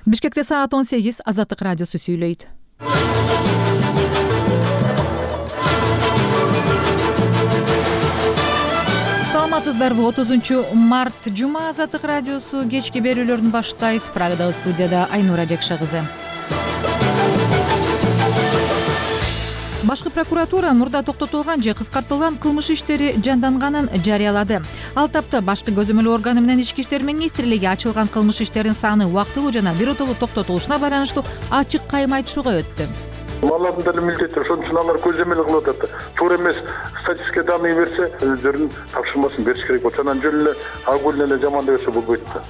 Бишкекте саат 18, Азаттык радиосу сүйлөйт. Саламатсыздарбы? 30-март жума Азаттык радиосу кечки берүүлөрүн баштайт. Прагадагы студияда Айнура Жекша кызы. Башкы прокуратура мурда токтотулган же кыскартылган кылмыш иштери жанданганын жарыялады. Ал тапта башкы көзөмөл органы менен Ички иштер министрлиги ачылган кылмыш иштердин саны убактылуу жана биротолуу токтотулушуна байланыштуу ачык кайым айтышууга өттү. Алардын деле милдети, ошон үчүн алар көзөмөл кылып атат. Туура эмес статистика данные берсе, өздөрүнүн тапшырмасын бериш керек болчу. Анан жөн эле агулын эле жамандап берсе болбойт да.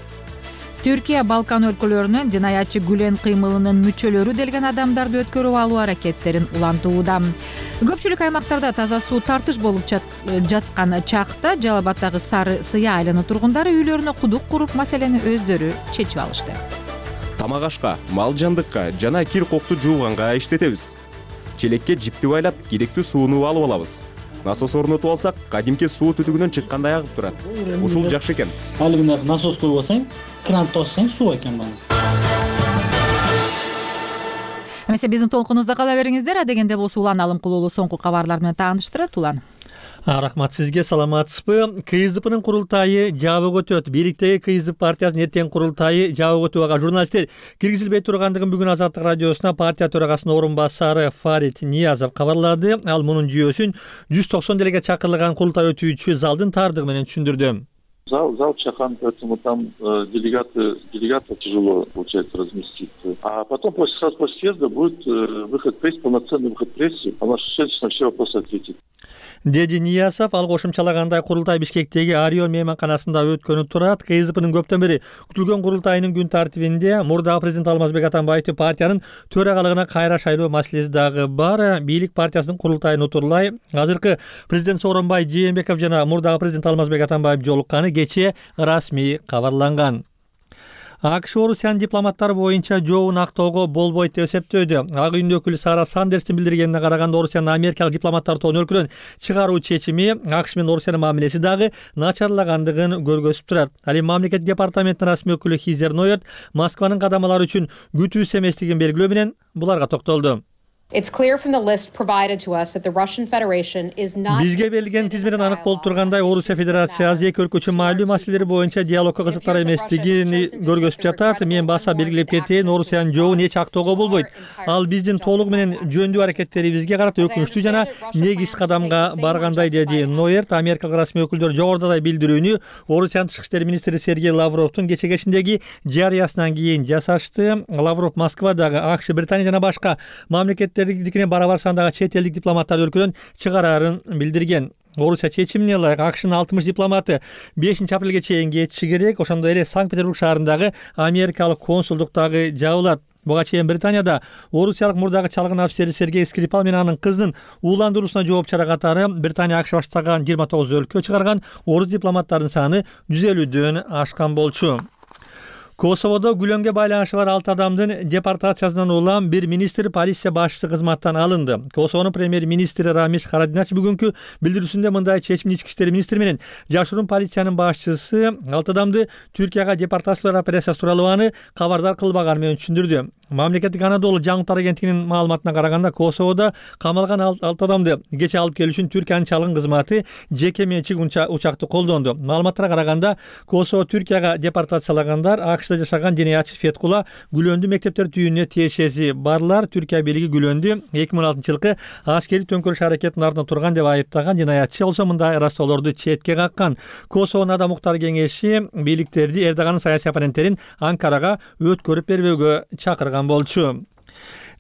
Түркия Балкан өлкөлөрүнөн жинаятчы Гүлен кыймылынын мүчөлөрү делген адамдарды өткөрүп алуу аракеттерин улантууда. Көпчүлүк аймактарда таза суу тартыш болуп жаткан чакта Жалал Абаддагы Сары Сыя айлана тургундары үйлөрүнө кудук куруп, маселени өздөрү чечип алышты. Тамак ашка, мал жандыкка жана кир кокту жууганга иштетебиз. Челекке жипти байлап, керектүү сууну алып алабыз. Насос орнотуп алсак, кадимки суу түтүгүнөн чыккандай агып турат. Ушул жакшы экен. Алыгына насос коюп алсаң, кран тосаң суу экен бана. Эмесе биздин толкунубузда кала бериңиздер. Адегенде болсо Улан Алымкулуулу соңку кабарлар менен тааныштырат. Улан. Рахмат сизге, саламатсызбы? КСДПнын курултайы жабык өтөт. Бийликтеги КСДП партиясынын эртең курултайы жабык өтүүгө журналисттер киргизилбей тургандыгын бүгүн Азаттык радиосуна партия төрагасынын орун басары Фарид Ниязов кабарлады. Ал мунун жүйөсүн 190 делеге чакырылган курултай өтүүчү залдын тардыгы менен түшүндүрдү. Зал чахан, поэтому там делегаты тяжело, получается, разместить. А потом сразу после съезда будет выход пресс, полноценный выход прессы, а наш шеф на все вопросы ответит. Деди Ниязов ал кошумчалагандай курултай Бишкектеги Орион мейманканасында өткөнү турат. КСДПнын көптөн бери күтүлгөн курултайынын күн тартибинде мурдагы президент Алмазбек Атамбаевди партиянын төрагалыгына кайра шайлоо маселеси дагы бар. Бийлик партиясынын курултайын утурлай азыркы президент Сооронбай Жээнбеков жана мурдагы президент Алмазбек Атамбаев жолукканы кечээ расмий кабарланган. АКШ Орусиянын дипломаттары боюнча жообун актоого болбойт деп эсептөөдө. Ак үйдүн өкүлү Сара Сандерстин билдиргенине караганда, Орусиянын америкалык дипломаттар тобун өлкөдөн чыгаруу чечими АКШ менен Орусиянын мамилеси дагы начарлагандыгын көргөзүп турат. Ал эми мамлекет департаментинин расмий өкүлү Хизер Нойерт Москванын кадамалары үчүн күтүүсүз эместигин белгилөө менен буларга токтолду. Бизге берилген тизмеден анык болуп тургандай, Орусия Федерациясы эки өлкө үчүн маалуу маселелер боюнча диалогко кызыктар эместигин көргөзүп жатат. Мен баса белгилеп кетейин, Орусиянын жообун эч актоого болбойт. Ал биздин толугу менен жөндүү аракеттерибизге карата өкүнүчтүү жана негиз кадамга баргандай, деди Нойерт. Америкалык расмий өкүлдөр жогорудагы билдирүүнү Орусиянын тышкы иштер министри Сергей Лавровдун кече кечиндеги жарыясынан кийин жасашты. Лавров Москвадагы АКШ, Британия жана башка мамлекеттердикине барабар сандагы чет элдик дипломаттарды өлкөдөн чыгарарын билдирген. Орусия чечимине ылайык АКШнын 60 дипломаты 5-апрелге чейин кетиши керек. Ошондой эле Санкт-Петербург шаарындагы америкалык консулдук дагы жабылат. Буга чейин Британияда орусиялык мурдагы чалгын офицери Сергей Скрипал менен анын кызынын ууландыруусуна жооп чара катары Британия АКШ баштаган 29 өлкө чыгарган орус дипломаттарынын саны 150дөн ашкан болчу. Косоводо Гүлөнгө байланышы бар 6 адамдын депортациясынан улам бир министр полиция башчысы кызматтан алынды. Косовонун премьер-министри Рамиш Харадинач бүгүнкү билдирүүсүндө мындай чечимди Ички иштер министри менен жашыруун полициянын башчысы 6 адамды Түркияга депортациялоо операциясы тууралуу аны кабардар кылбаганы менен түшүндүрдү. Мамлекеттик Анадолу жаңылыктар агенттигинин маалыматына караганда, Косоводо камалган 6 адамды кече алып келүү үчүн Түркиянын чалгын кызматы жеке менчик учакты колдонду. Маалыматтарга караганда, Косово Түркияга депортациялагандар АКШда жашаган жинаятчы Феткула Гүлөндү мектептер түйүнүнө тиешеси барлар. Түркия бийлиги Гүлөндү 2016-жылкы аскерий төңкөрүш аракетинин артында турган деп айыптаган. Жинаятчы болсо мындай растоолорду четке каккан. Косовонун Адам укуктар кеңеши бийликтерди Эрдоганын саясий оппоненттерин Анкарага өткөрүп бербөөгө чакырган болчу.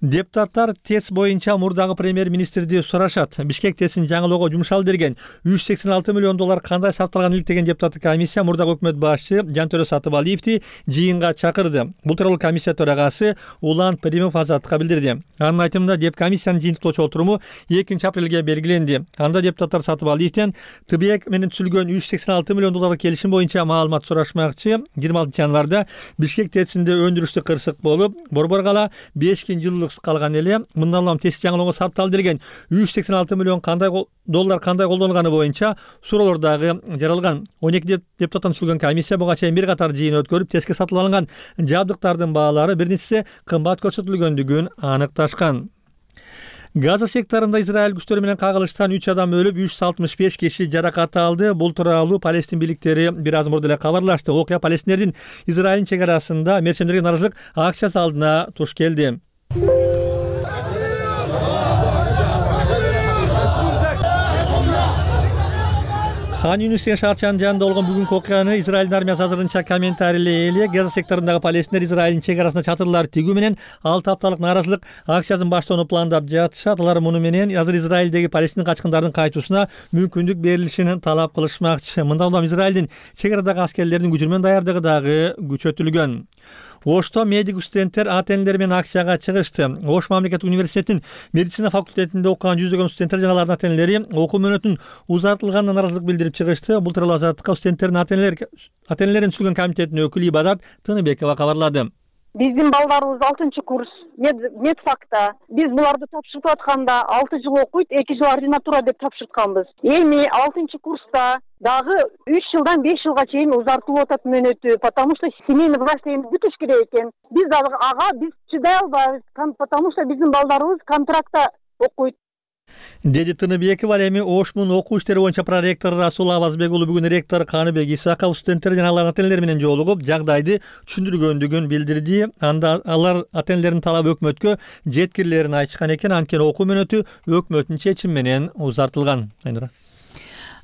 Депутаттар ТЭС боюнча мурдагы премьер-министрди сурашат. Бишкек ТЭСин жаңылоого жумшалды деген $186 миллион кандай сарпталган элек деген депутаттык комиссия мурдагы өкмөт башчы Жантөрө Сатыбалиевди жыйынга чакырды. Бул тууралуу комиссия төрагасы Улан Перимов Азаттыкка билдирди. Анын айтымында комиссиянын жыйынтыктоочу отуруму 2-апрелге белгиленди. Анда депутаттар Сатыбалиевден ТБЭК менен түзүлгөн $186 миллион келишим боюнча маалымат сурашмакчы. 26 январда Бишкек ТЭСинде өндүрүштүк кырсык болуп, борбор кала 5 жылдык жылдык калган эле. Мындан улам тест жаңылоого сарпталды делген 386 миллион доллар кандай колдонулганы боюнча суроолор дагы жаралган. 12 депутаттан түзүлгөн комиссия буга чейин бир катар жыйын өткөрүп, тестке сатылып алынган жабдыктардын баалары бир нече кымбат көрсөтүлгөндүгүн аныкташкан. Газа секторунда Израиль күчтөрү менен кагылыштан 3 адам өлүп, 365 киши жаракат алды. Бул тууралуу Палестин бийликтери бир аз мурда эле кабарлашты. Окуя Палестиндердин Израилдин чек арасында мерчемдерге нааразычылык акциясы алдына туш келди. Хан Юнистен шаарчанын жанында болгон бүгүнкү окуяны Израилдин армиясы азырынча комментарийлей элек. Газа секторундагы палестиндер Израилдин чек арасына чатырлар тигүү менен 6 апталык нааразычылык акциясын баштоону пландап жатышат. Алар муну менен азыр Израилдеги палестин качкындардын кайтуусуна мүмкүндүк берилишин талап кылышмакчы. Мындан улам Израилдин чек арадагы аскерлердин күчүрмөн даярдыгы дагы күчөтүлгөн. Ошто медик студенттер ата-энелер менен акцияга чыгышты. Ош мамлекеттик университетинин медицина факультетинде окуган жүздөгөн студенттер жана алардын ата-энелери окуу мөөнөтүнүн узартылганына нааразычылык билдирип чыгышты. Бул тууралуу Азаттыкка студенттердин ата-энелерин түзүлгөн комитетинин өкүлү Ибадат Тыныбекова кабарлады. Биздин балдарыбыз 6-курс медфакта. Биз буларды тапшырып атканда 6 жыл окуйт, 2 жыл ординатура деп тапшыртканбыз. Эми 6-курста дагы 3 жылдан 5 жылга чейин узартылып атат мөөнөтү, потому что семейный врачтыгын бүтүш керек экен. Биз дагы биз чыдай албайбыз, потому что биздин балдарыбыз контрактта окуйт. Деди Тыныбеков. Ал эми Ошмун окуу иштери боюнча проректору Расул Абазбек уулу бүгүн ректор Каныбек Исаков студенттер жана алардын ата-энелери менен жолугуп, жагдайды түшүндүргөндүгүн билдирди. Анда алар ата-энелердин талабы өкмөткө жеткирилерин айтышкан экен. Анткени окуу мөөнөтү өкмөттүн чечими менен узартылган.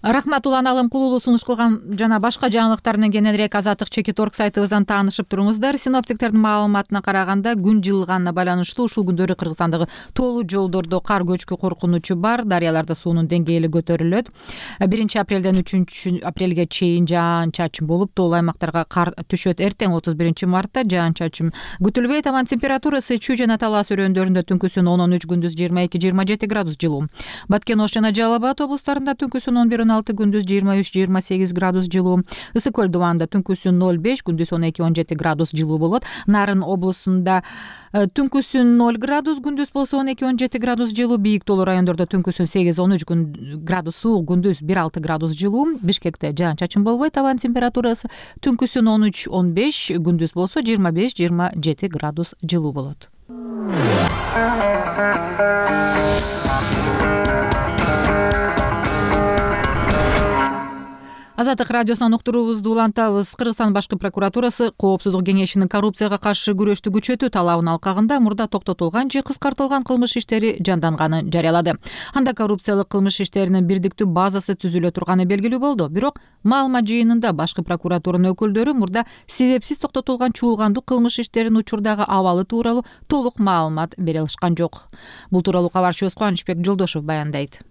Рахмат, Улан Алымкулуулу сунуш кылган жана башка жаңылыктар менен кененирээк Азаттык Чекит.org сайтыбыздан таанышып туруңуздар. Синоптиктердин маалыматына караганда күн жылганына байланыштуу ушул күндөрү Кыргызстандагы тоолуу жолдордо кар көчкү коркунучу бар. Дарыяларда суунун деңгээли көтөрүлөт. 1-апрелден 3-апрелге чейин жаан-чачын болуп, тоолуу аймактарга кар түшөт. Эртең 31-мартта жаан-чачын күтүлбөйт. Абан температурасы Чүй жана Талас өрөөндөрүндө түнкүсүн 10-13, күндүз 22-27 градус жылуу. Баткен, Ош жана Жалал Абад облустарында түнкүсүн 11-16, күндүз 23-28 градус жылуу. Ысык көл дубанда түнкүсүн 0-5, күндүз 12-17 градус жылуу болот. Нарын облусунда түнкүсүн 0 градус, күндүз болсо 12-17 градус жылуу. Бийик тоолуу райондордо түнкүсүн 8-13 градус суук, күндүз 1-6 градус жылуу. Бишкекте жаан-чачын болбойт. Абан температурасы түнкүсүн 13-15, күндүз болсо 25-27 градус жылуу болот. Азаттык радиосунан уктуруубузду улантабыз. Кыргызстан башкы прокуратурасы Коопсуздук кеңешинин коррупцияга каршы күрөштү күчөтүү талабынын алкагында мурда токтотулган же кыскартылган кылмыш иштери жанданганын жарыялады. Анда коррупциялык кылмыш иштеринин бирдиктүү базасы түзүлө турганы белгилүү болду. Бирок маалымат жыйынында башкы прокуратуранын өкүлдөрү мурда себепсиз токтотулган чуулгандуу кылмыш иштеринин учурдагы абалы тууралуу толук маалымат бере алышкан жок. Бул тууралуу кабарчыбыз Кубанычбек Жолдошов баяндайт.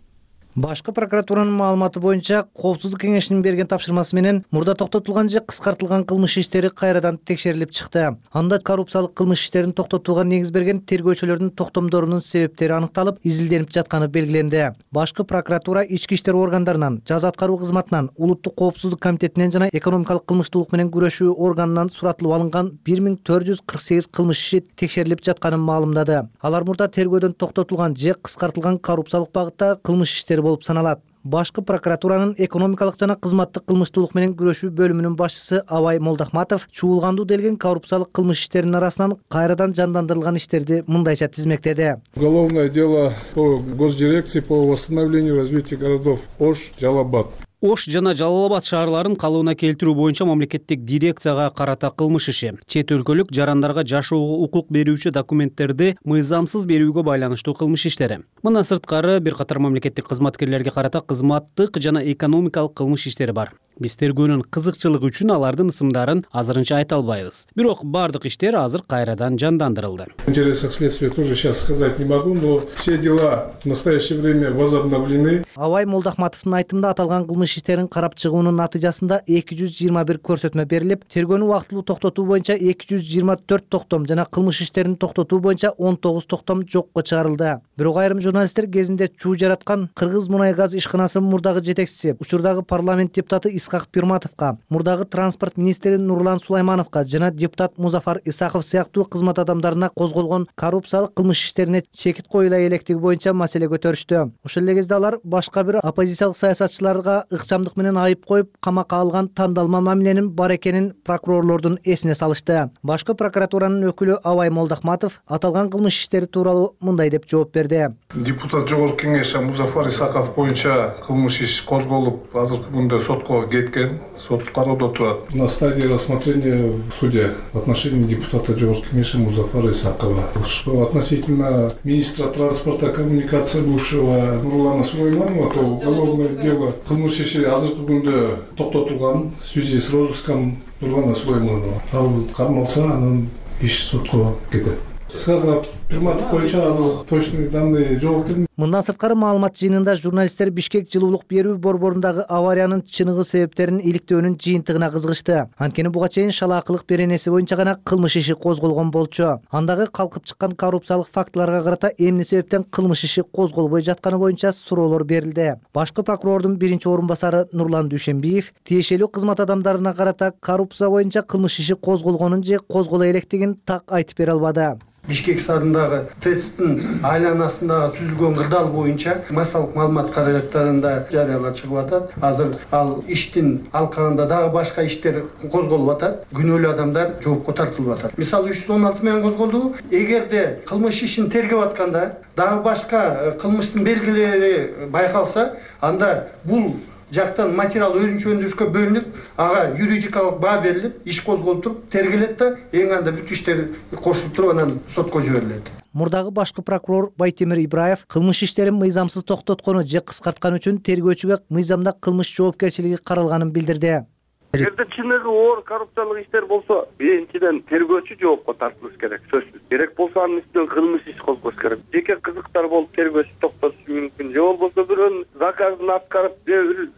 Башкы прокуратуранын маалыматы боюнча Коопсуздук кеңешинин берген тапшырмасы менен мурда токтотулган же кыскартылган кылмыш иштери кайрадан текшерилип чыкты. Анда коррупциялык кылмыш иштерин токтотууга негиз берген тергөөчүлөрдүн токтомдорунун себептери аныкталып, изилденип жатканы белгиленди. Башкы прокуратура ички иштер органдарынан, жаза аткаруу кызматынан, Улуттук коопсуздук комитетинен жана экономикалык кылмыштуулук менен күрөшүү органынан суратылып алынган 1448 кылмыш иши текшерилип жатканын маалымдады. Алар мурда тергөөдөн токтотулган же кыскартылган коррупциялык багытта кылмыш иштери болуп саналат. Башкы прокуратуранын экономикалык жана кызматтык кылмыштуулук менен күрөшүү бөлүмүнүн башчысы Абай Молдахматов чуулгандуу делген коррупциялык кылмыш иштеринин арасынан кайрадан жандандырылган иштерди мындайча тизмектеди. Уголовное дело по госдирекции по восстановлению и развитию городов Ош, Жалал Абад. Ош жана Жалал Абад шаарларын калыбына келтирүү боюнча мамлекеттик дирекцияга карата кылмыш иши. Чет өлкөлүк жарандарга жашоого укук берүүчү документтерди мыйзамсыз берүүгө байланыштуу кылмыш иштери. Мындан сырткары бир катар мамлекеттик кызматкерлерге карата кызматтык жана экономикалык кылмыш иштери бар. Биз тергөөнүн кызыкчылыгы үчүн алардын ысымдарын азырынча айта албайбыз. Бирок бардык иштер азыр кайрадан жандандырылды. В интересах следствия тоже сейчас сказать не могу, но все дела в настоящее время возобновлены. Абай Молдахматовдун айтымында аталган кылмыш кылмыш иштерин карап чыгуунун натыйжасында 221 көрсөтмө берилип, тергөөнү убактылуу токтотуу боюнча 224 токтом жана кылмыш иштерин токтотуу боюнча 19 токтом жокко чыгарылды. Бирок айрым журналисттер кезинде чуу жараткан Кыргыз мунай газ ишканасынын мурдагы жетекчиси, учурдагы парламент депутаты Исхак Пирматовго, мурдагы транспорт министри Нурлан Сулаймановго жана депутат Музафар Исаков сыяктуу кызмат адамдарына козголгон коррупциялык кылмыш иштерине чекит коюла электиги боюнча маселе көтөрүштү. Ошол эле кезде алар башка бир оппозициялык саясатчыларга ыкчамдык менен айып коюп, камакка алган тандалма мамиленин бар экенин прокурорлордун эсине салышты. Башкы прокуратуранын өкүлү Абай Молдахматов аталган кылмыш иштери тууралуу мындай деп жооп берди. Депутат Жогорку Кеңеш Музафар Исаков боюнча кылмыш иш козголуп, азыркы күндө сотко кеткен, сот кароодо турат. На стадии рассмотрения в суде в отношении депутата Жогорку Кеңеш Музафара Исакова. Что относительно министра транспорта и коммуникации бывшего Нурлана Сулайманова, то уголовное дело кылмыш иши азыркы күндө токтотулган в связи с розыском Нурлана Сулайманова. Ал кармалса, анын иш сотко кетет. Исхак Пирматов боюнча азыр точный данные жок. Мындан сырткары маалымат жыйынында журналисттер Бишкек жылуулук берүү борборундагы авариянын чыныгы себептерин иликтөөнүн жыйынтыгына кызыгышты. Анткени буга чейин шалаакылык беренеси боюнча гана кылмыш иши козголгон болчу. Андагы калкып чыккан коррупциялык фактыларга карата эмне себептен кылмыш иши козголбой жатканы боюнча суроолор берилди. Башкы прокурордун биринчи орун басары Нурлан Дүйшенбиев тиешелүү кызмат адамдарына карата коррупция боюнча кылмыш иши козголгонун же козголо электигин так айтып бере албады. Бишкек шаарындагы ТЭЦтин айланасындагы түзүлгөн кырдаал боюнча массалык маалымат каражаттарында жарыялар чыгып атат. Азыр ал иштин алкагында дагы башка иштер козголуп атат. Күнөөлүү адамдар жоопко тартылып атат. Мисалы 316 менен козголду. Эгерде кылмыш ишин тергеп атканда дагы башка кылмыштын белгилери байкалса, анда бул жактан материал өзүнчө өндүрүшкө бөлүнүп, ага юридикалык баа берилип, иш козголуп туруп, тергелет да, эң анда бүт иштер кошулуп туруп анан сотко жиберилет. Мурдагы башкы прокурор Байтемир Ибраев кылмыш иштерин мыйзамсыз токтоткону же кыскарткан үчүн тергөөчүгө мыйзамда кылмыш жоопкерчилиги каралганын билдирди. Эгерде чыныгы оор коррупциялык иштер болсо, биринчиден тергөөчү жоопко тартылыш керек, сөзсүз. Керек болсо анын үстүнөн кылмыш иш козгош керек. Жеке кызыктар болуп тергөөчү токтотушу мүмкүн. Же болбосо бирөөнүн заказын аткарып,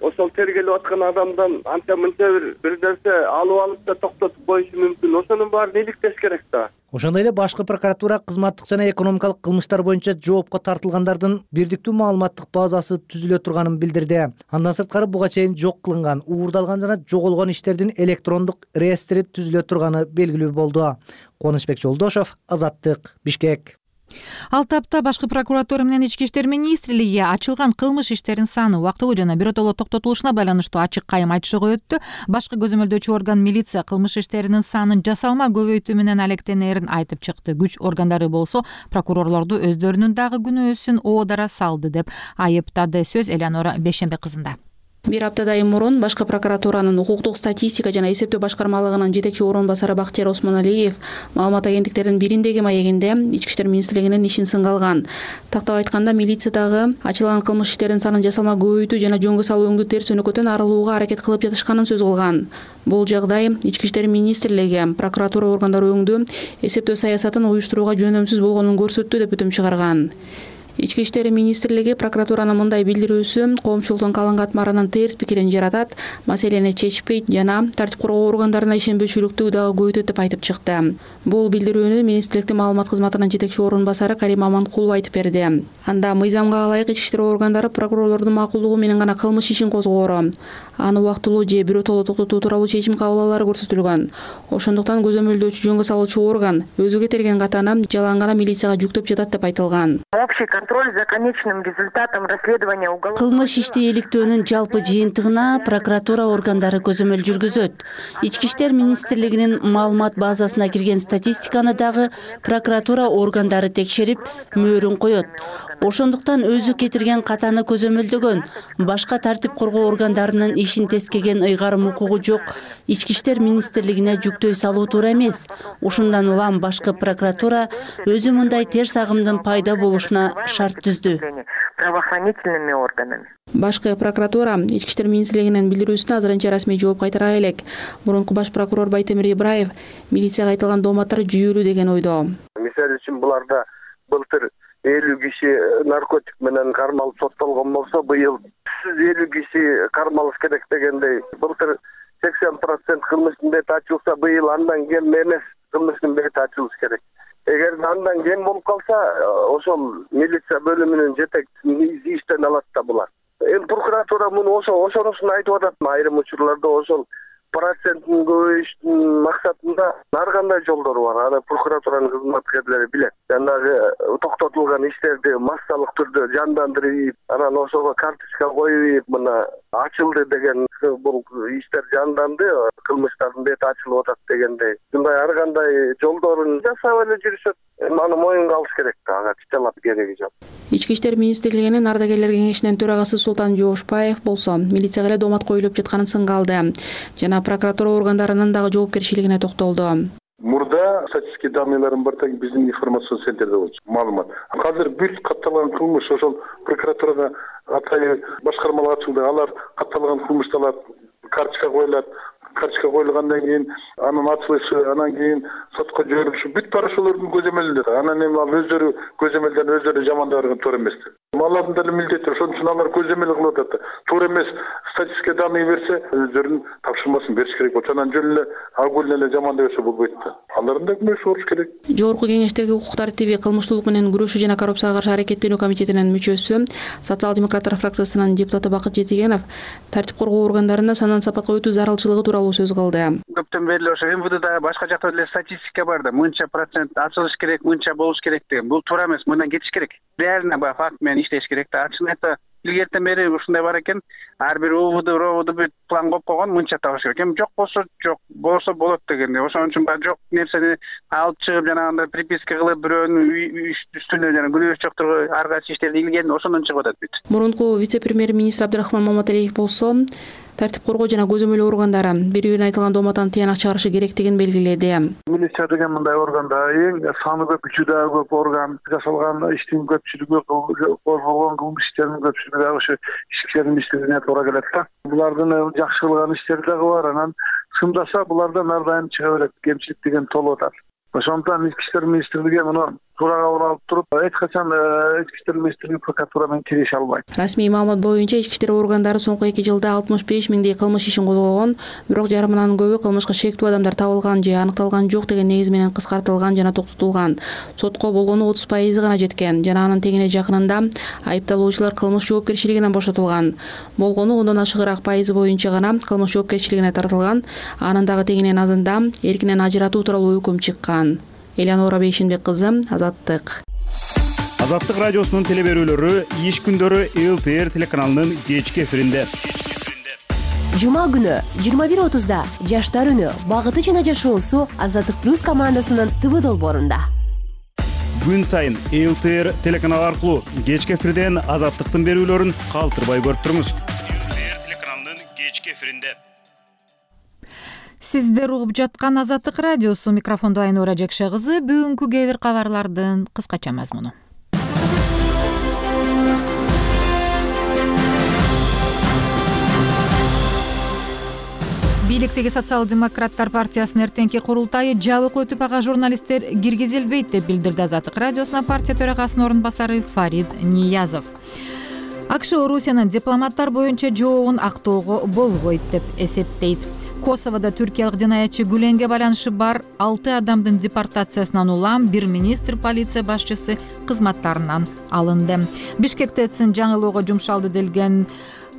ошол тергелип аткан адамдан анча-мынча бир нерсе алып да токтотуп коюшу мүмкүн. Ошонун баарын иликтеш керек да. Ошондой эле башкы прокуратура кызматтык жана экономикалык кылмыштар боюнча жоопко тартылгандардын бирдиктүү маалыматтык базасы түзүлө турганын билдирди. Андан сырткары буга чейин жок кылынган, уурдалган жана жоголгон иштердин электрондук реестри түзүлө турганы белгилүү болду. Кубанычбек Жолдошов, Азаттык, Бишкек. Ал тапта башкы прокуратура менен Ички иштер министрлиги ачылган кылмыш иштерин саны убактылуу жана биротоло токтотулушуна байланыштуу ачык кайым айтышууга өттү. Башкы көзөмөлдөөчү орган милиция кылмыш иштеринин санын жасалма көбөйтүү менен алектенерин айтып чыкты. Күч органдары болсо прокурорлорду өздөрүнүн дагы күнөөсүн оодара салды деп айыптады. Сөз Элеонора Бешембек кызында. Бир аптадай мурун башкы прокуратуранын укуктук статистика жана эсептөө башкармалыгынын жетекчи орун басары Бактияр Осмоналиев маалымат агенттиктеринин бириндеги маегинде Ички иштер министрлигинин ишин сынга алган. Тактап айтканда, милициядагы ачылган кылмыш иштеринин санын жасалма көбөйтүү жана жөнгө салуу терс өнөкөтөн арылууга аракет кылып жатышканын сөз кылган. Бул жагдай Ички иштер министрлиги прокуратура органдары өңдүү эсептөө саясатын уюштурууга жөнөмсүз болгонун көрсөттү деп бүтүм чыгарган. Ички иштер министрлиги прокуратуранын мындай билдирүүсү коомчулуктун калың катмарынын терс пикирин жаратат, маселени чечпейт жана тартип коргоо органдарына ишенбөөчүлүктү дагы көбөйтөт деп айтып чыкты. Бул билдирүүнү министрликтин маалымат кызматынын жетекчи орун басары Карим Аманкулов айтып берди. Анда мыйзамга ылайык ички иштер органдары прокурорлордун макулдугу менен гана кылмыш ишин козгоору, аны убактылуу же биротоло токтотуу тууралуу чечим кабыл алаары көрсөтүлгөн. Ошондуктан көзөмөлдөөчү жөнгө салуучу орган өзү кетирген катаны жалаң гана милицияга жүктөп жатат деп айтылган. Контроль за конечным результатом расследования уголовного кылмыш ишти иликтөөнүн жалпы жыйынтыгына прокуратура органдары көзөмөл жүргүзөт. Ички иштер министрлигинин маалымат базасына кирген статистиканы дагы прокуратура органдары текшерип, мөөрүн коёт. Ошондуктан өзү кетирген катаны көзөмөлдөгөн, башка тартип коргоо органдарынын ишин тескеген ыйгарым укугу жок. Ички иштер министрлигине жүктөй салуу туура эмес. Ушундан улам башкы прокуратура өзү мындай терс агымдын пайда болушуна шарт түздү. Правоохранительными органами. Башкы прокуратура Ички иштер министрлигинин билдирүүсүнө азырынча расмий жооп кайтара элек. Мурунку баш прокурор Байтемир Ибраев милицияга айтылган дооматтар жүйөлүү деген ойдо. Мисалы үчүн буларда былтыр 50 киши наркотик менен кармалып соттолгон болсо, быйыл 50 киши кармалыш керек дегендей. Былтыр 80% кылмыштын бети ачылса, быйыл андан кем эмес кылмыштын бети ачылыш керек. Эгер андан кем болуп калса, ошол милиция бөлүмүнүн жетекчиси иштен алат да булар. Прокуратура муну ошонусун айтып атат. Айрым учурларда ошол процентин көбөйүштүн максатында ар кандай жолдору бар. Аны прокуратуранын кызматкерлери билет. Жанагы токтотулган иштерди массалык түрдө жандандырып, анан ошого карточка коюп, мына ачылды деген бул иштер жанданды, кылмыштардын бети ачылып атат дегендей. Мындай ар кандай жолдорун жасап эле жүрүшөт. Аны моюнга алыш керек да, ага чычалап кереги жок. Ички иштер министрлигинин ардагерлер кеңешинин төрагасы Султан Жоошбаев болсо, милицияга эле доомат коюлуп жатканын сынга алды жана прокуратура органдарынын дагы жоопкерчилигине токтолду. Мурда статистика данныйларын бар так биздин информацион центрде болчу маалымат. Азыр бүт катталган кылмыш ошол прокуратурага атайын башкармалар ачылды. Алар катталган кылмыштар карточка коюлат. Карточка коюлгандан кийин анын ачылышы, анан кийин сотко жиберилиши бүт бар ошолордун көзөмөлүндө. Анан эми ал өздөрү көзөмөлдөн өздөрү жамандабырган туура эмес. Алардын деле милдети, ошон үчүн алар көзөмөл кылып атат. Туура эмес статистика данный берсе, өздөрүнүн тапшырмасын бериш керек. Ошонан жөн эле агул эле жамандап берсе болбойт да. Алардын да күнөөсү болуш керек. Жогорку кеңештеги укук тартиби, кылмыштуулук менен күрөшүү жана коррупцияга каршы аракеттенүү комитетинин мүчөсү, социал-демократтар фракциясынын депутаты Бакыт Жетигенов тартип коргоо органдарында сандан сапатка өтүү зарылчылыгы тууралуу сөз кылды. Көптөн бери ошо МВДда башка жакта деле статистика бар да, мынча процент ачылыш керек, мынча болуш керек деген. Бул туура эмес, мындан кетиш керек. Реально баягы факт менен иштеш керек да. Ачыгын айтса, илгертен бери ушундай бар экен, ар бир ровд бүт план коюп койгон, мынча табыш керек. Эми жок болсо жок, болсо болот дегенде. Ошон үчүн баягы жок нерсени алып чыгып жанагындай приписка кылып бирөөнүн үстүнө жана күнөөсү жоктурга ар кайсы иштерди илген, ошондон чыгып атат бүт. Мурунку вице-премьер-министр Абдрахман Маматалиев болсо, тартип коргоо жана көзөмөл органдары бири-бирин айтылган дооматтан тыянак чыгарышы керектигин белгиледи. Милиция деген мындай органда эң саны көп, күчү дагы көп орган, жасалган иштин көпчүлүгү, козголгон кылмыш иштеринин көпчүлүгү дагы ошо ички иштер министрлигине туура келет да. Булардын жакшы кылган иштери дагы бар, анан сымдаса булардан ар дайым чыга берет, кемчилик деген толуп атат. Ошондуктан ички иштер министрлиги муну туура кабыл алып туруп, эч качан ички иштер министрлиги прокуратура менен кирише албайт. Расмий маалымат боюнча ички иштер органдары соңку 2 жылда 65 миңдей кылмыш ишин козгогон, бирок жарымынан көбү кылмышка шектүү адамдар табылган же аныкталган жок деген негиз менен кыскартылган жана токтотулган. Сотко болгону 30% гана жеткен жана анын тегине жакынында айыпталуучулар кылмыш жоопкерчилигинен бошотулган. Болгону ондан ашыгыраак пайызы боюнча гана кылмыш жоопкерчилигине тартылган, анын дагы тегинен азында эркинен ажыратуу тууралуу өкүм чыккан. Элеонора Бейшенбек кызы, Азаттык. Азаттык радиосунун телеберүүлөрү иш күндөрү ЛТР телеканалынын кечки эфиринде. Жума күнү 21:30да Жаштар үнү, багыты жана жашоосу Азаттык плюс командасынын ТВ долбоорунда. Күн сайын ЛТР телеканалы аркылуу кечки эфирден Азаттыктын берүүлөрүн калтырбай көрүп туруңуз. ЛТР телеканалынын кечки эфиринде. Сиздер угуп жаткан Азаттык радиосу, микрофондо Айнура Жекше кызы. Бүгүнкү кээ бир кабарлардын кыскача мазмуну. Бийликтеги социал-демократтар партиясынын эртеңки курултайы жабык өтүп, ага журналисттер киргизилбейт деп билдирди Азаттык радиосуна партия төрагасынын орун басары Фарид Ниязов. АКШ Орусиянын дипломаттар боюнча жообун актоого болбойт деп эсептейт. Косоводо түркиялык жинаятчы Гүленге байланышы бар 6 адамдын депортациясынан улам бир министр полиция башчысы кызматтарынан алынды. Бишкекте жаңылоого жумшалды делген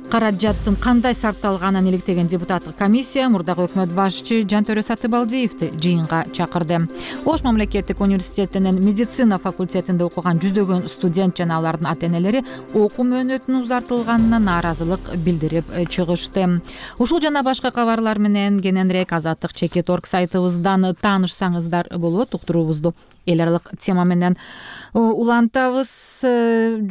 каражаттын кандай сарпталганын иликтеген депутаттык комиссия мурдагы өкмөт башчы Жантөрө Сатыбалдиевди жыйынга чакырды. Ош мамлекеттик университетинин медицина факультетинде окуган жүздөгөн студент жана алардын ата-энелери окуу мөөнөтүнүн узартылганына нааразылык билдирип чыгышты. Ушул жана башка кабарлар менен кененирээк Азаттык.org сайтыбыздан таанышсаңыздар болот. Уктуруубузду эл аралык тема менен улантабыз.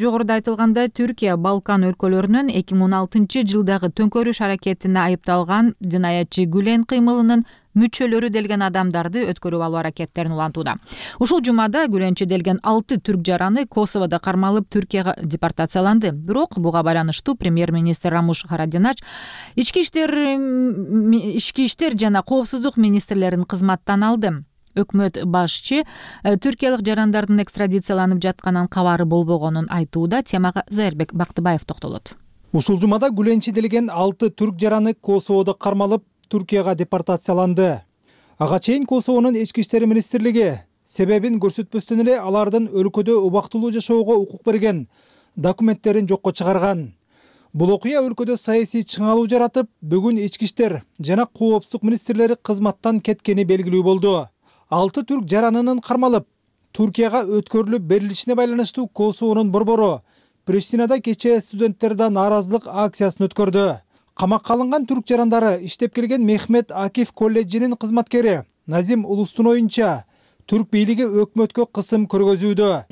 Жогоруда айтылгандай, Түркия Балкан өлкөлөрүнүн 2016 жылдагы төңкөрүш аракетине айыпталган жинаятчы Гүлен кыймылынын мүчөлөрү делген адамдарды өткөрүп алуу аракеттерин улантууда. Ушул жумада Гүленчи делген 6 түрк жараны Косоводо кармалып Түркияга депортацияланды. Бирок буга байланыштуу премьер-министр Рамуш Харадинач ички иштер жана коопсуздук министрлерин кызматтан алды. өкмөт башчы түркиялык жарандардын экстрадицияланып жатканын кабары болбогонун айтууда. Темага Зайырбек Бактыбаев токтолот. Ушул жумада Гүлен чиделеген 6 түрк жараны Косоводо кармалып, Туркияга депортацияланды. Ага чейин Косовонун ички иштер министрлиги себебин көрсөтпөстөн эле алардын өлкөдө убактылуу жашоого укук берген документтерин жокко чыгарган. Бул окуя өлкөдө саясий чыңалуу жаратып, бүгүн ички иштер жана коопсуздук министрлери кызматтан кеткени белгилүү болду. 6 түрк жаранынын кармалып, Туркияга өткөрүлүп берилишине байланыштуу Косовонун борбору Приштинада кечээ студенттерден нааразылык акциясын өткөрдү. Камакка алынган түрк жарандары иштеп келген Мехмет Акиф колледжинин кызматкери Назим Улустун оюнча, түрк бийлиги өкмөткө кысым көргөзүүдө.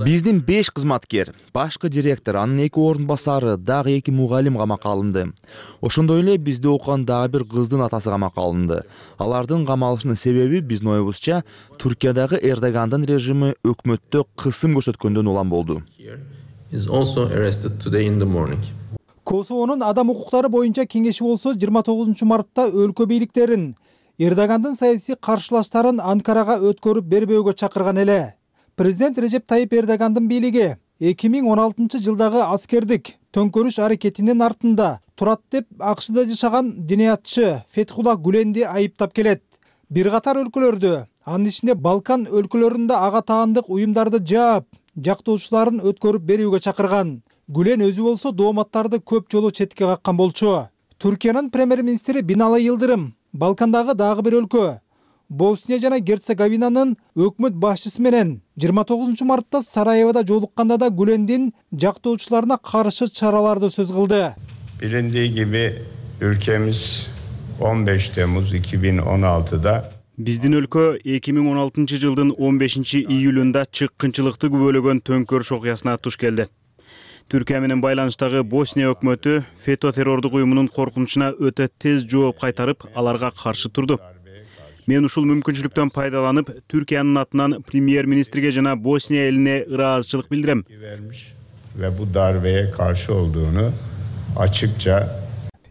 Биздин 5 кызматкер, башкы директор, анын 2 орун басары, дагы 2 мугалим камакка алынды. Ошондой эле бизде окуган дагы бир кыздын атасы камакка алынды. Алардын камалышынын себеби биздин оюбузча Туркиядагы Эрдогандын режими өкмөттө кысым көрсөткөндөн улам болду. Косовонун адам укуктары боюнча кеңеши болсо 29 мартта өлкө бийликтерин Эрдогандын саясий каршылаштарын Анкарага өткөрүп бербөөгө чакырган эле. Президент Режеп Тайип Эрдогандын бийлиги 2016 жылдагы аскердик төңкөрүш аракетинин артында турат деп АКШда жашаган диниятчы Фетхулла Гүленди айыптап келет. Бир катар өлкөлөрдө, анын ичинде Балкан өлкөлөрүндө ага таандык уюмдарды жаап, жактоочуларын өткөрүп берүүгө чакырган. Гүлен өзү болсо дооматтарды көп жолу четке каккан болчу. Түркиянын премьер-министри Бинали Йылдырым Балкандагы дагы бир өлкө Босния жана Герцеговинанын өкмөт башчысы менен 29 мартта Сараевода жолукканда да Гүлендин жактоочуларына каршы чараларды сөз кылды. Bilindiği gibi ülkemiz 15 Temmuz 2016'da Биздин өлкө 2016 жылдын 15 июлунда чыккынчылыкты күбөлөгөн төңкөрүш окуясына туш келди. Түркия менен байланыштагы Босния өкмөтү ФЕТÖ террордук уюмунун коркунучуна өтө тез жооп кайтарып, аларга каршы турду. Мен ушул мүмкүнчүлүктөн пайдаланып, Түркиянын атынан премьер-министрге жана Босния элине ыраазычылык билдирем. Ve bu darbeye karşı olduğunu açıkça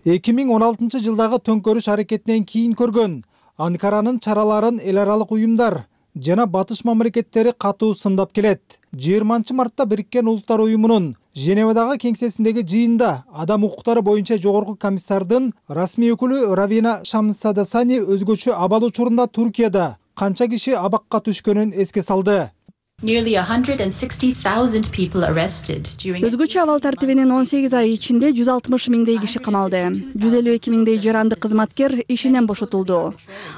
2016 жылдагы төңкөрүш аракетинен кийин көргөн Анкаранын чараларын эл аралык уюмдар жана батыш мамлекеттери катуу сындап келет. 20 мартта Бириккен Улуттар уюмунун Женевадагы кеңсесиндеги жыйында адам укуктары боюнча жогорку комиссардын расмий өкүлү Равина Шамсадасани өзгөчө абал учурунда Туркияда канча киши абакка түшкөнүн эске салды. Өзгөчө абал тартибинин 18 ай ичинде 160 миңдей киши камалды. 152 миңдей жаранды кызматкер ишинен бошотулду.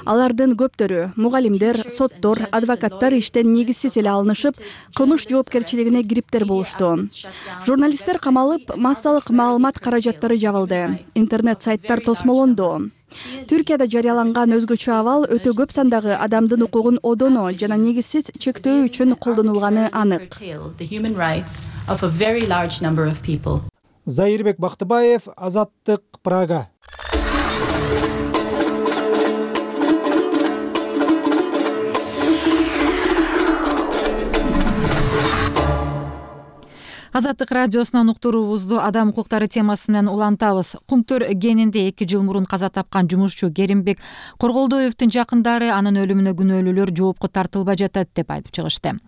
Алардын көптөрү мугалимдер, соттор, адвокаттар иштен негизсиз эле алынышып, кылмыш жоопкерчилигине кириптер болушту. Журналисттер камалып, массалык маалымат каражаттары жабылды. Интернет сайттар тосмолонду. Түркияда жарыяланган өзгөчө абал өтө көп сандагы адамдын укугун одоно жана негизсиз чектөө үчүн колдонулганы анык. Зайырбек Бактыбаев, Азаттык, Прага. Азаттык радиосунан уктуруубузду адам укуктары темасы менен улантабыз. Кумтөр кенинде 2 жыл мурун каза тапкан жумушчу Керимбек Корголдоевдун жакындары анын өлүмүнө күнөөлүүлөр жоопко тартылбай жатат деп айтып чыгышты.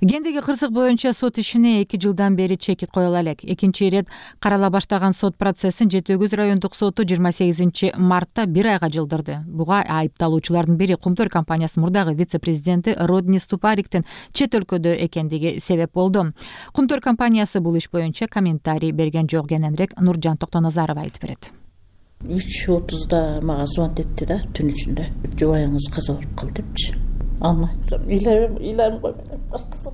Гендеги кырсык боюнча сот ишине 2 жылдан бери чекит коюла элек. Экинчи ирет карала баштаган сот процессин Жети Өгүз райондук соту 28 мартта 1 айга жылдырды. Буга айыпталуучулардын бири Кумтөр компаниясынын мурдагы вице-президенти Родни Ступариктин чет өлкөдө экендиги себеп болду. Кумтөр компаниясы бул иш боюнча комментарий берген жок. Кененирээк Нуржан Токтоназарова айтып берет. 3:30 мага звонт этти да түн ичинде. Жубайыңыз каза болуп калды депчи. Аны айтсам, ыйлайм кой менен баштасам.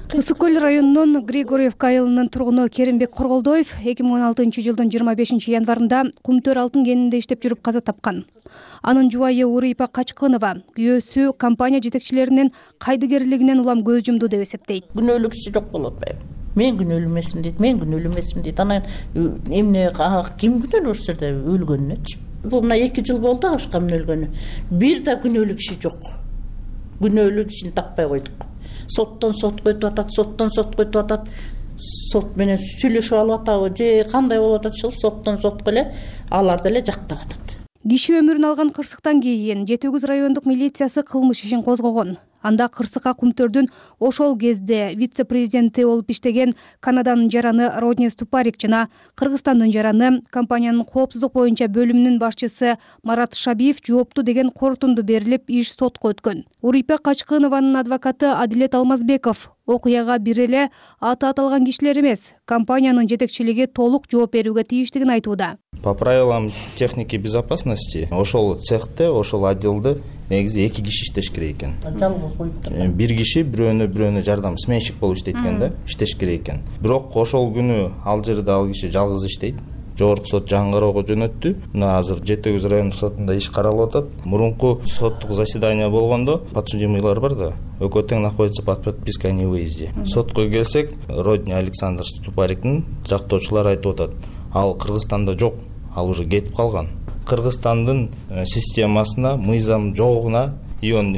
Ысык көл районунун Григорьевка айылынын тургуну Керимбек Корголдоев 2016 жылдын 25 январында Кумтөр алтын кенинде иштеп жүрүп каза тапкан. Анын жубайы Урыйпа Качкынова күйөөсү компания жетекчилеринин кайдыгерлигинен улам көз жумду деп эсептейт. Күнөөлүү киши жок болот атпайбы? Мен күнөөлүү эмесмин дейт, мен күнөөлүү эмесмин дейт. Анан эмне ким күнөөлүү ошол жерде өлгөнүнөчү? Бул мына 2 жыл болду ашкам өлгөнү. Бир да күнөөлүү киши жок. Күнөөлүү кишини таппай койдук. Соттон сотко өтүп атат, соттон сотко өтүп атат. Сот менен сүйлөшүп алып атабы же кандай болуп атат ушул соттон сотко эле алар деле жактап атат. Киши өмүрүн алган кырсыктан кийин Жети Өгүз райондук милициясы кылмыш ишин козгогон. Анда кырсыкка Кумтөрдүн ошол кезде вице-президенти болуп иштеген Канаданын жараны Родни Ступарик жана Кыргызстандын жараны компаниянын коопсуздук боюнча бөлүмүнүн башчысы Марат Шабиев жоопту деген корутунду берилип, иш сотко өткөн. Урипе Качкынованын адвокаты Адилет Алмазбеков окуяга бир эле аты аталган кишилер эмес, компаниянын жетекчилиги толук жооп берүүгө тийиштигин айтууда. По правилам техники безопасности ошол цехте, ошол отделде негизи 2 киши иштеш керек экен. Жалгыз коюп Бир киши бирөөнө жардам сменщик болуп иштейт экен да, иштеш керек экен. Бирок ошол күнү ал жерде ал киши жалгыз иштейт. Жогорку сот жаңы кароого жөнөттү. Мына азыр Жети Өгүз райондук сотунда иш каралып атат. Мурунку соттук заседание болгондо подсудимыйлар бар да, экөө тең находится под подпиской о невыезде. Сотко келсек, Родни Александр Ступариктин жактоочулары айтып атат, ал Кыргызстанда жок, ал уже кетип калган. Кыргызстандын системасына мыйзам жогуна и он,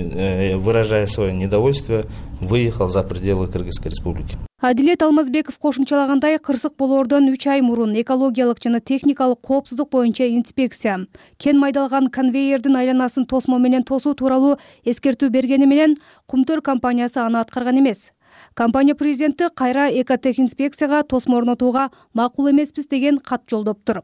выражая свое недовольство, выехал за пределы Кыргызской республики. Адилет Алмазбеков кошумчалагандай, кырсык болоордон 3 ай мурун экологиялык жана техникалык коопсуздук боюнча инспекция кен майдалган конвейердин айланасын тосмо менен тосуу тууралуу эскертүү бергени менен Кумтөр компаниясы аны аткарган эмес. Компания президенти кайра экотех инспекцияга тосмо орнотууга макул эмеспиз деген кат жолдоптур.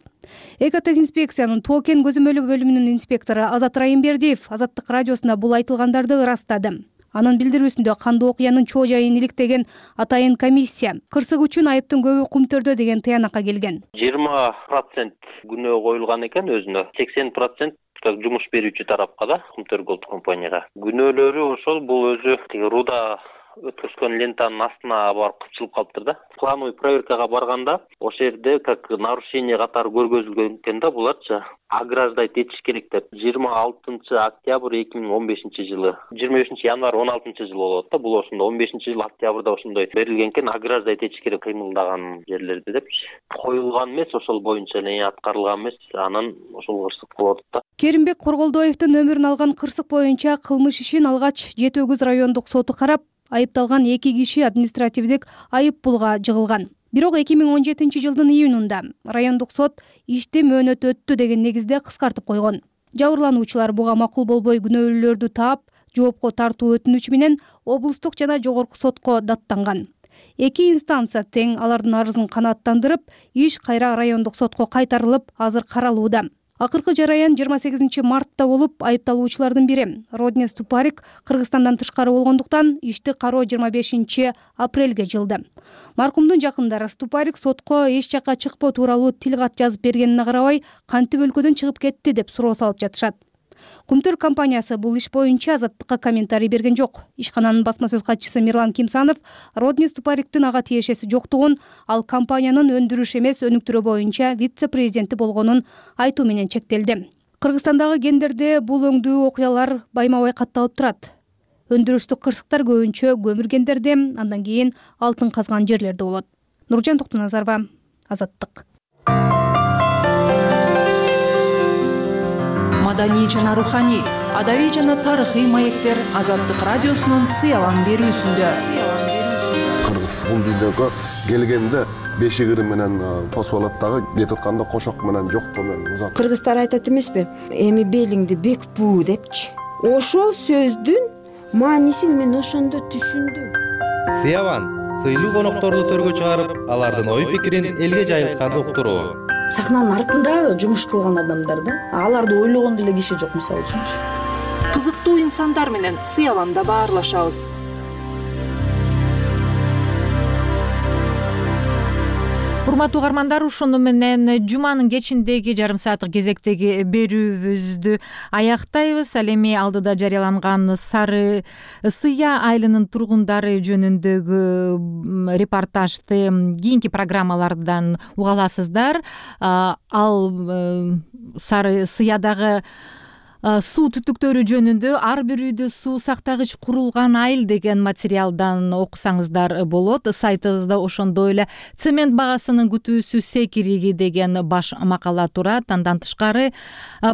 Экотех инспекциянын Тоо кен көзөмөлү бөлүмүнүн инспектору Азат Райымбердиев Азаттык радиосуна бул айтылгандарды ырастады. Анын билдирүүсүндө кандуу окуянын чоо жайын иликтеген атайын комиссия кырсык үчүн айыптын көбү Кумтөрдө деген тыянакка келген. 20% күнөө коюлган экен өзүнө, 80% жумуш берүүчү тарапка да, Кумтөр Голд компанияга. Күнөөлөрү ошол бул өзү руда өткөзгөн лентанын астына барып кыпчылып калыптыр да. Плановый проверкага барганда ошол жерде как нарушение катары көргөзүлгөн экен да, буларчы ограждать этиш керек деп. 26 октябрь 2015 жылы, 25 январь 16 жылы болот да. Бул ошондо 15 жыл октябрда ошондой берилген экен, ограждать этиш керек кыймылдаган жерлерди депчи. Коюлган эмес, ошол боюнча эле аткарылган эмес, анан ошол кырсык болот да. Керимбек Корголдоевдун өмүрүн алган кырсык боюнча кылмыш ишин алгач Жети Өгүз райондук соту карап, айыпталган 2 киши административдик айып пулга жыгылган. Бирок 2017 жылдын июнунда райондук сот ишти мөөнөт өттү деген негизде кыскартып койгон. Жабырлануучулар буга макул болбой күнөөлүүлөрдү таап, жоопко тартуу өтүнүчү менен облустук жана жогорку сотко даттанган. 2 инстанция тең алардын арызын канааттандырып, иш кайра райондук сотко кайтарылып, азыр каралууда. Акыркы жараян 28 мартта болуп, айыпталуучулардын бири Родни Ступарик Кыргызстандан тышкары болгондуктан ишти кароо 25 апрелге жылды. Маркумдун жакындары Ступарик сотко эч жакка чыкпоо тууралуу тил кат жазып бергенине карабай, кантип өлкөдөн чыгып кетти деп суроо салып жатышат. Кумтөр компаниясы бул иш боюнча Азаттыкка комментарий берген жок. Ишкананын басма сөз катчысы Мирлан Кимсанов Родни Ступариктин ага тиешеси жоктугун, ал компаниянын өндүрүш эмес өнүктүрүү боюнча вице-президенти болгонун айтуу менен чектелди. Кыргызстандагы кендерде бул өңдүү окуялар байма-бай катталып турат. Өндүрүштүк кырсыктар көбүнчө көмүр кендерде, андан кийин алтын казган жерлерде болот. Нуржан Токтуназарова, Азаттык. Маданий жана руханий, адабий жана тарыхый маектер Азаттык радиосунун сыялан берүүсүндө. Кыргыз бул дүйнөгө келгенде бешигири менен тосуп алат дагы, кетип атканда кошок менен жоктоо менен узат. Кыргыздар айтат эмеспи? Эми белиңди бек буу депчи. Ошол сөздүн маанисин мен ошондо түшүндүм. Сыяван сыйлуу конокторду төргө чыгарып, алардын ой пикирин элге жайылткан уктуруу. Сахнанын артында жумуш кылган адамдар да, аларды ойлогон деле киши жок, мисалы үчүнчү. Кызыктуу инсандар менен сыяванда баарлашабыз. Урматтуу угармандар, ушуну менен жуманын кечиндеги жарым сааттык кезектеги берүүбүздү аяктайбыз. Ал эми алдыда жарыяланган Сары Сыя айылынын тургундары жөнүндөгү репортажды кийинки программалардан уга аласыздар. Ал Сары Сыядагы суу түтүктөрү жөнүндө ар бир үйдө суу сактагыч курулган айыл деген материалдан окусаңыздар болот. Сайтыбызда ошондой эле цемент багасынын күтүүсү секириги деген баш макала турат. Андан тышкары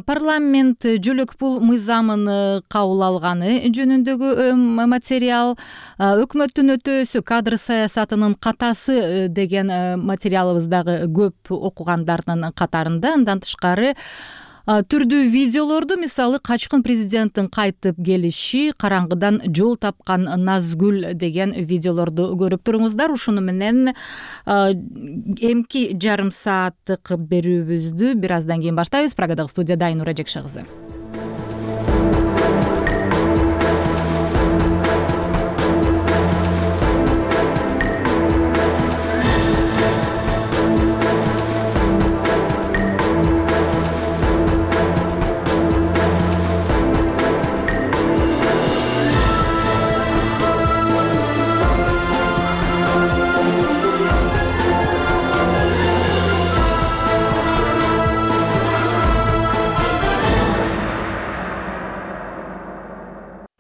парламент жөлөк пул мыйзамын кабыл алганы жөнүндөгү материал, өкмөттүн өтөөсү кадр саясатынын катасы деген материалыбыз дагы көп окугандардын катарында. Андан тышкары түрдүү видеолорду, мисалы качкын президенттин кайтып келиши, караңгыдан жол тапкан Назгүл деген видеолорду көрүп туруңуздар. Ушуну менен эмки жарым сааттык берүүбүздү бир аздан кийин баштайбыз. Прагадагы студияда Айнура Жекше кызы.